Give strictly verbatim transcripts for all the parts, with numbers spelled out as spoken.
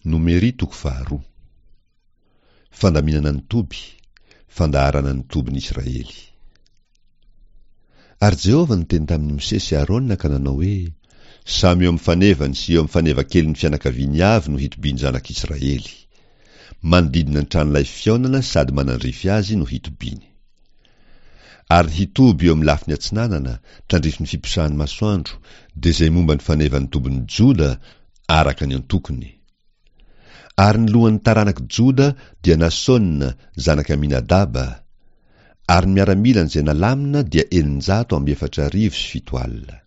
Nomery toko faharoa. Fandaminana ny toby, fandaharana ny tobin'i Israely. Ary Jehovah niteny tamin'i Mosesy sy Arona ka nanao hoe, Samy eo amin'ny fanevany sy eo amin'ny fanevakelin'ny fianakaviany avy no hitobian'ny zanak'Israely. Manodidina ny tranolay fihaonana sady manandrify azy no hitobiany. Ary hitoby eo amin'ny lafiny atsinanana, tandrifin'ny fiposahan'ny masoandro, dia izay momba ny fanevan'ny tobin'i Joda araka ny antokony. Ary ny lohan'ny taranak'i Joda dia Nasôna zanak'i Aminadaba, ary ny miaramilany izay nalamina dia eninjato amby efatra arivo sy fito alina.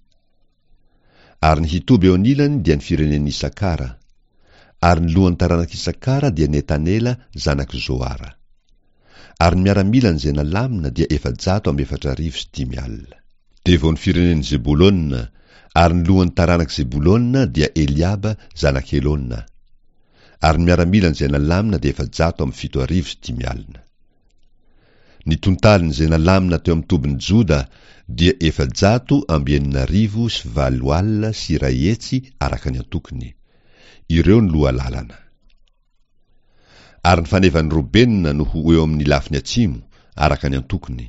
Ary ny hitoby eo anilany dia ny firenen'i Isakara. Ary ny lohan'ny taranak'i Isakara dia Netanela zanak'i Zoara. Ary ny miaramilany izay nalamina dia efajato amby efatra arivo sy dimy alina. Dia vao ny firenen'i Zebolona, ary ny lohan'ny taranak'i Zebolona dia Eliaba zanak'i Helona. Ary ny miaramilany izay nalamina dia efajato amby fito arivo sy dimy alina. Ny tontaliny izay nalamina teo amin'ny tobin'i Joda dia efajato amby enina arivo sy valo alina sy iray hetsy araka ny antokony. Ireo ny loha lalana. Ary ny fanevan'i Robena no ho eo amin'ny lafiny atsimo, araka ny antokony.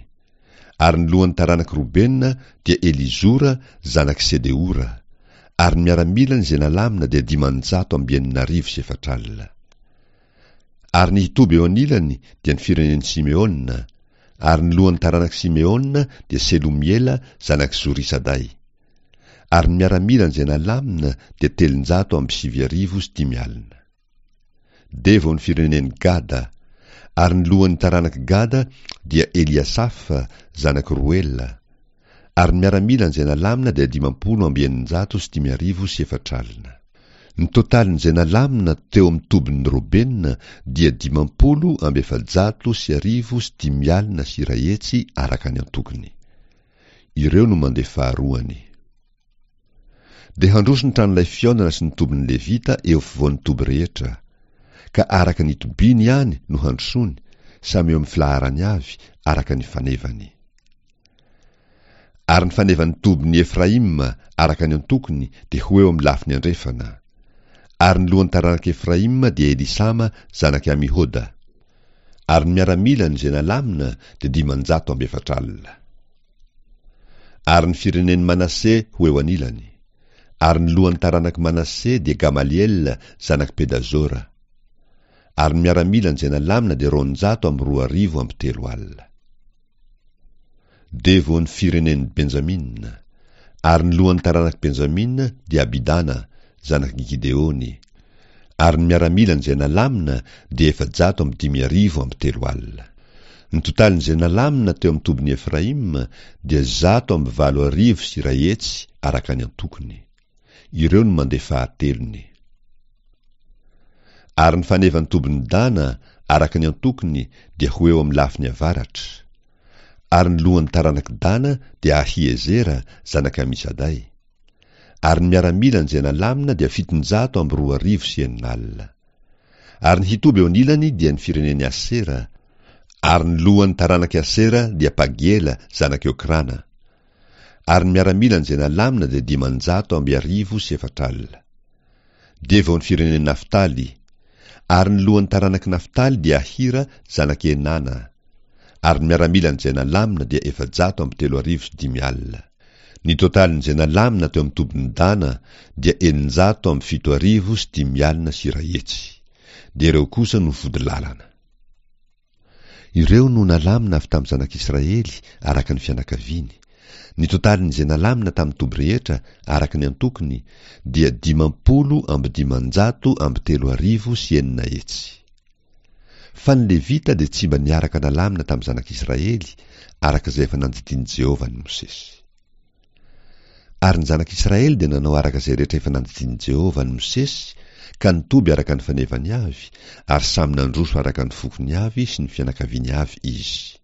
Ary ny lohan'ny taranak'i Robena dia Elizora zanak'i Sedeora. Ary ny miaramilany izay nalamina dia dimanjato amby enina arivo sy efatra alina. Ary ny hitoby eo anilany dia ny firenen'i Simeona. Ary ny lohan'ny taranak'i Simeona dia Selomiela zanak'i Zorisaday. Ary ny miaramilany izay nalamina dia telonjato amby sivy arivo sy dimy alina. Dia vao ny firenen'i Gada. Ary ny lohan'ny taranak'i Gada dia Eliasafa zanak'i Roela. Ary ny miaramilany izay nalamina dia dimampolo amby eninjato sy dimy arivo sy efatra alina. Ny totalin'izay nalamina teo amin'ny tobin'ny Robena dia dimampolo amby efajato sy arivo sy dimy alina sy iray hetsy araka ny antokony. Ireo no mandeha faharoany. Dia handroso ny tranolay fihaonana sy ny tobin'ny Levita eo afovoan'ny toby rehetra. Ka araka ny tobiany ihany no handrosoany, samy eo amin'ny filaharany avy, araka ny fanevany. Ary ny fanevan'ny tobin'i Efraima araka ny antokony dia ho eo amin'ny lafiny andrefana. Ary ny lohan'ny taranak'i Efraima dia Elisama zanak'i Amihoda. Ary ny miaramilany izay nalamina dia dimanjato amby efatra alina. Ary ny firenen'i Manase ho eo anilany. Ary ny lohan'ny taranak'i Manase dia Gamaliela zanak'i Pedazora. Ary ny miaramilany izay nalamina dia roanjato amby roa arivo amby telo alina. Dia vao ny firenen'i Benjamina. Ary ny lohan'ny taranak'i Benjamina dia Abidana zanak'i Gideony. Ary ny miaramilany izay nalamina dia efajato amby dimy arivo amby telo alina. Ny totalin'izay nalamina teo amin'ny tobin'i Efraima dia zato amby valo arivo sy iray hetsy araka ny antokony. Ireo no mandeha fahatelony. Ary ny fanevan'ny tobin'i Dana araka ny antokony dia ho eo amin'ny lafiny avaratra. Ary ny lohan'ny taranak'i Dana dia Ahiezera zanak'i Amisaday. Ary ny miaramilany izay nalamina dia fitonjato amby roa arivo sy enina alina. Ary ny hitoby eo anilany dia ny firenen'i Asera. Ary ny lohan'ny taranak'i Asera dia Pagiela zanak'i Okrana. Ary ny miaramilany izay nalamina dia dimanjato amby arivo sy efatra alina. Dia vao ny firenen'i Naftaly. Ary ny lohan'ny taranak'i Naftaly dia Ahira zanak'i Enana. Ary ny miaramilany izay nalamina dia efajato amby telo arivo sy dimy alina. Ny totalin'izay nalamina teo amin'ny tobin'i Dana dia eninjato amby fito arivo sy dimy alina sy iray hetsy. Dia ireo kosa no vody lalana. Ireo no nalamina avy tamin'ny zanak'Israely araka ny fianakaviany. Ny totalin'izay nalamina tamin'ny toby rehetra araka ny antokony dia dimampolo amby dimanjato amby telo arivo sy enina hetsy. Fa ny Levita dia tsy mba niaraka nalamina tamin'ny zanak'Israely araka izay efa nandidian'i Jehovah an'i Mosesy. Ary ny zanak'Israely dia nanao araka izay rehetra efa nandidian'i Jehovah an'i Mosesy, ka nitoby araka ny fanevany avy, ary samy nandroso araka ny fokony avy sy ny fianakaviany avy izy.